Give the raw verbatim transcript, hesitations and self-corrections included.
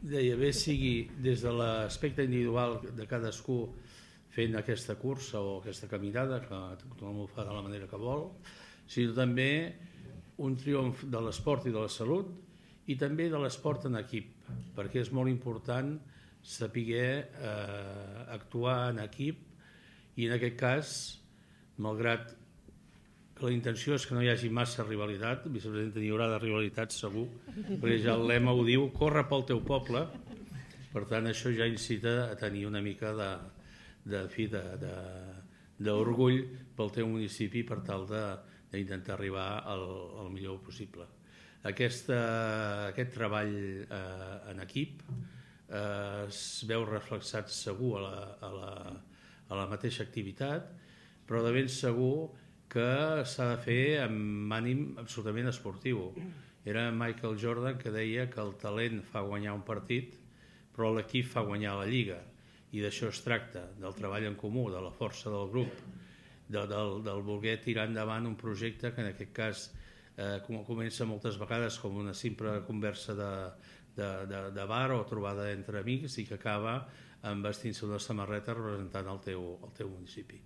deia, bé sigui des de l'aspecte individual de cadascú fent aquesta cursa o aquesta caminada, que tothom ho fa de la manera que vol, sinó també un triomf de l'esport i de la salut i també de l'esport en equip, perquè és molt important saber eh, actuar en equip i en aquest cas, malgrat que la intenció és que no hi hagi massa rivalitat, vicepresidenta, hi haurà de rivalitat segur, perquè ja el lema ho diu, corre pel teu poble, per tant això ja incita a tenir una mica de, de fi, de, de, d'orgull pel teu municipi per tal d'intentar arribar al, al millor possible. Aquesta, aquest treball eh, en equip eh, es veu reflexat segur a la, a la, a la mateixa activitat, però de ben segur que s'ha de fer amb ànim absolutament esportiu. Era Michael Jordan que deia que el talent fa guanyar un partit, però l'equip fa guanyar la lliga. I d'això es tracta, del treball en comú, de la força del grup, de, del, del voler tirar endavant un projecte que en aquest cas eh, comença moltes vegades com una simple conversa de, de, de, de bar o trobada entre amics i que acaba amb vestint-se una samarreta representant el teu, el teu municipi.